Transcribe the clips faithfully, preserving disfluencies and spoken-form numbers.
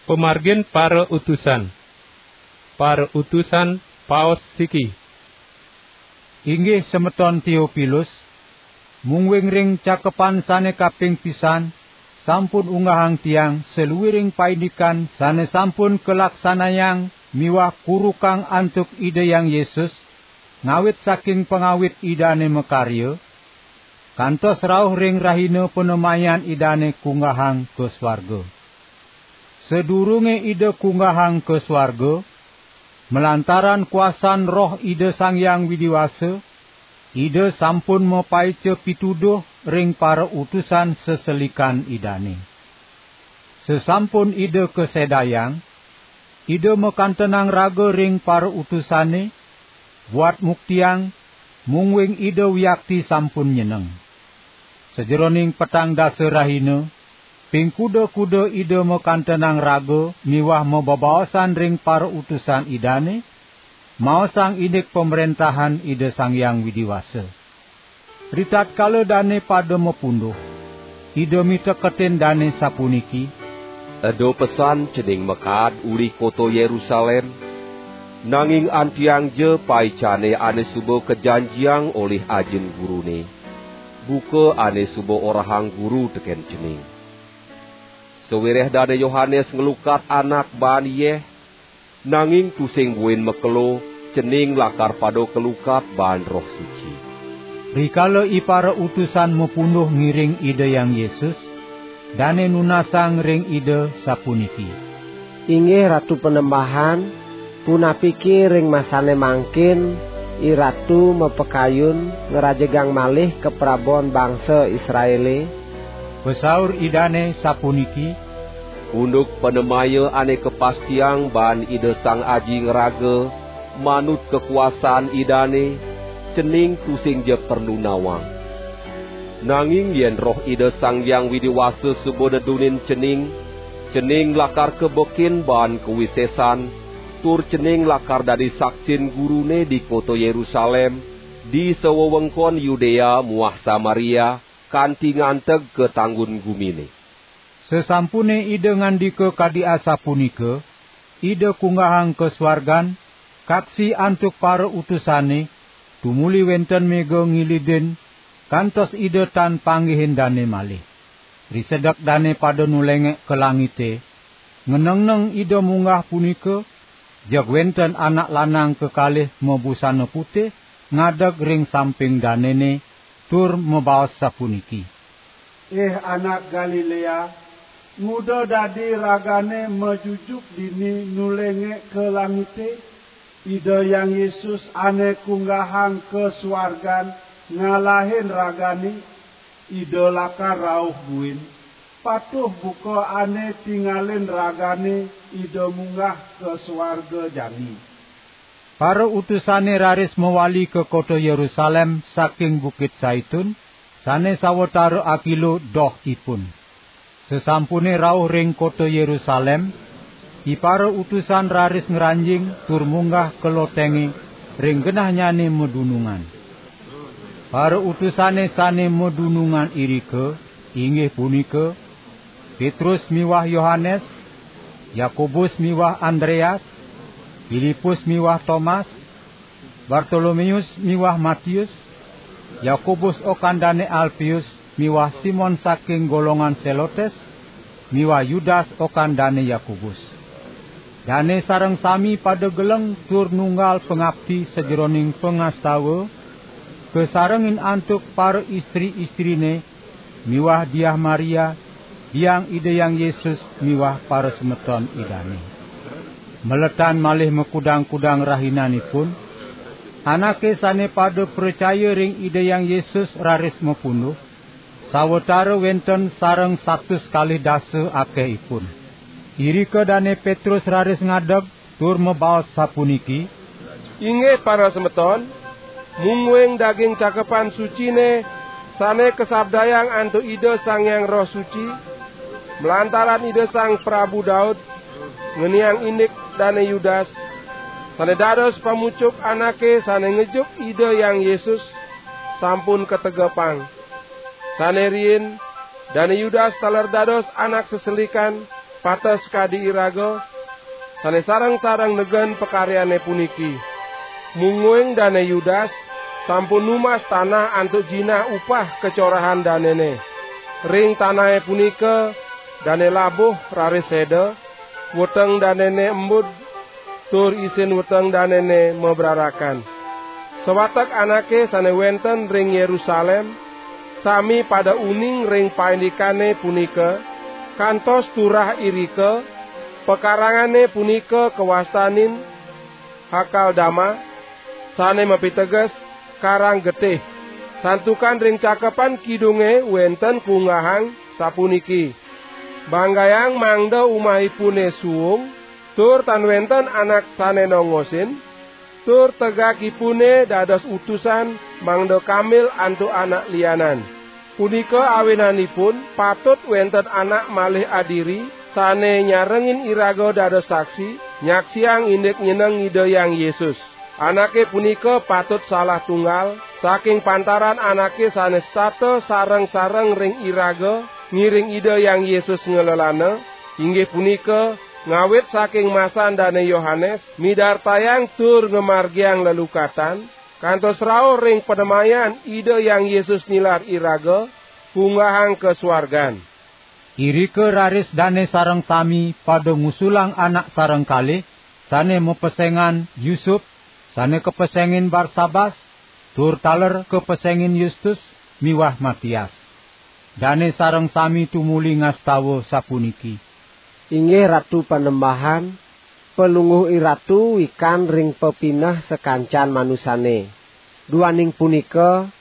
Pamargin para utusan. Para utusan paos siki. Inggih semeton Teopilus, mungguing ring cakepan sane kaping pisan, sampun unggahang tiang saluiring paindikan sane sampun kalaksanayang miwah kurukang antuk Ida Hyang Yesus, ngawit saking pangawit Idane makarya, kantos rauh ring rahina panemayan Idane kunggahang ka swarga. Sadurunge Ida kunggahang ka swarga, malantaran kuasan Roh Ida Sang Hyang Widi Wasa, Ida sampun mapaica pituduh ring para utusan seselikan Idane. Sasampun Ida kasedayang, Ida makantenang raga ring para utusane, buat muktiang, mungguing Ida wiakti sampun nyeneng. Sajeroning petang dasa rahina, ping kuda-kuda Ida makantenang raga miwah mabebaosan ring para utusan Idane, maosang indik pamrentahan Ida Sang Hyang Widi Wasa. Ritatkala dane pada mapunduh, Ida miteketin dane sapuniki: "Eda pesan cening makaad uli kota Yerusalem, nanging antiang ja paicane ane suba kajanjiang olih Ajin Gurune, buka ane suba orahang Guru teken cening. Sawireh Dane Yohanes nglukat anak baan yeh, nanging tusing buin makelo, cening lakar pada kalukat baan Roh Suci." Rikala ipara utusan mapunduh ngiring Ida Hyang Yesus, dane nunasang ring Ida sapuniki: "Inggih Ratu Panembahan, punapike ring masane mangkin I Ratu mapakayun ngrajegang malih kaprabon bangsa Israele?" Pasaur Idane sapuniki: "Unduk panemaya ane kapastiang baan Ida Sang Aji ngraga manut kakuasan Idane, cening tusing ja perlu nawang. Nanging yen Roh Ida Sang Hyang Widi Wasa suba nedunin cening, cening lakar kabekin baan kawisesan, tur cening lakar dadi saksin Gurune di kota Yerusalem, di sawewengkon Yudea muah Samaria, kanti nganteg ka tanggun gumine." Sasampune Ida ngandika kadi asapunika, Ida kunggahang ka swargan, kaksi antuk para utusane, tumuli wenten mega ngilidin, kantos Ida tan panggihin dane malih. Risedek dane pada nulengek ka langite, ngenengneng Ida munggah punika, jeg wenten anak lanang kekalih mabusana putih ngadeg ring samping danene, tur mabaos sapuniki: "Ih anak Galilea, nguda dadi ragane majujuk dini nulengek ka langite? Ida Hyang Yesus ane kunggahang ka swargan ngalahin ragane, Ida lakar rauh buin. Patuh buka ane tingalin ragane Ida munggah ka swarga jani." Para utusane raris mawali ka kota Yerusalem saking Bukit Saitun, sane sawatara akilo doh ipun. Sasampune rauh ring kota Yerusalem, ipara utusan raris ngranjing tur munggah ka lotenge ring genahnyane madunungan. Para utusane sane madunungan irika inggih punika: Petrus miwah Yohanes, Yakobus miwah Andreas, Filipus miwah Tomas, Bartolomeus miwah Matius, Yakobus okan dane Alpius miwah Simon saking golongan Selotes, miwah Yudas okan dane Yakobus. Dane sareng sami pada geleng tur nunggal pangapti sajeroning pangastawa, kasarengin antuk para istri-istrine miwah Diah Maria, biang Ida Hyang Yesus miwah parasemeton Idane. Maletan malih makudang-kudang rahinanipun, anake sane pada pracaya ring Ida Hyang Yesus raris mapunduh, sawatara wenten sareng satus kalih dasa akehipun. Irika Dane Petrus raris ngadeg tur mabaos sapuniki: "Inggih parasemeton, mungguing daging cakepan sucine sane kasabdayang antuk Ida Sang Hyang Roh Suci, malantaran Ida Sang Prabu Daud, ngeniang indik Dane Yudas, sane dados pamucuk anake sane ngejuk Ida Hyang Yesus, sampun kategepang. Sane riin, Dane Yudas taler dados anak seselikan, pates kadi iraga, sane sareng-sareng negen pakaryane puniki. Mungguing Dane Yudas sampun numas tanah antuk jinah upah kacorahan danene. Ring tanahe punika dane labuh raris seda, weteng danene embud, tur isin weteng danene mabrarakan. Sawatek anake sane wenten ring Yerusalem sami pada uning ring paindikane punika, kantos turah irika pakarangane punika kawastanin Hakaldama, sane mapiteges Karang Getih. Santukan ring Cakepan Kidunge wenten kunggahang sapuniki: "Banggayang mangda umahipune suung, tur tan wenten anak sane nongosin, tur tegakipune dados utusan mangda kambil antuk anak lianan." Punika awinanipun patut wenten anak malih adiri sane nyarengin iraga dados saksi, nyaksiang indik nyeneng Ida Hyang Yesus. Anake punika patut salah tunggal, saking pantaran anake sane setata sareng-sareng ring iraga ngiring Ida Hyang Yesus nglelana, inggih punika, ngawit saking masan Dane Yohanes midartayang tur ngamargiang lelukatan, kantos rauh ring panemayan Ida Hyang Yesus nilar iraga, kunggahang ka swargan. Irika raris dane sareng sami pada ngusulang anak sareng kalih, sane mapesengan Yusup, sane kapesengin Barsabas, tur taler kapesengin Yustus miwah Matias. Dane sareng sami tumuli ngastawa sapuniki: "Inggih Ratu Panembahan, Palungguh IRatu wikan ring pepineh sakancan manusane. Duaning punika,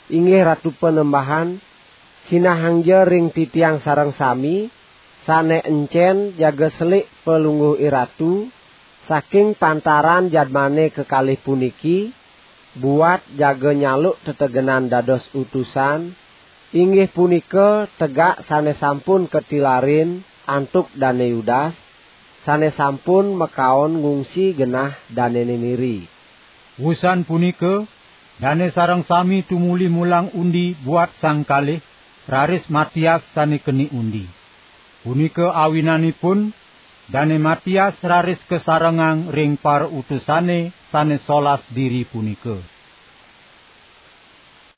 inggih Ratu Panembahan, sinahangja ring titiang sareng sami, sane encen jaga selik Palungguh IRatu, saking pantaran jadmane kekalih puniki, buat jaga nyaluk tetegenan dados utusan, inggih punika tegak sane sampun katilarin antuk Dane Yudas, sane sampun makaon ngungsi genah danene niri." Wusan punika, dane sareng sami tumuli mulang undi buat sang kalih, raris Matias sane keni undi. Punika awinanipun, Dane Matias raris kasarengang ring parautusane sane solas diri punika.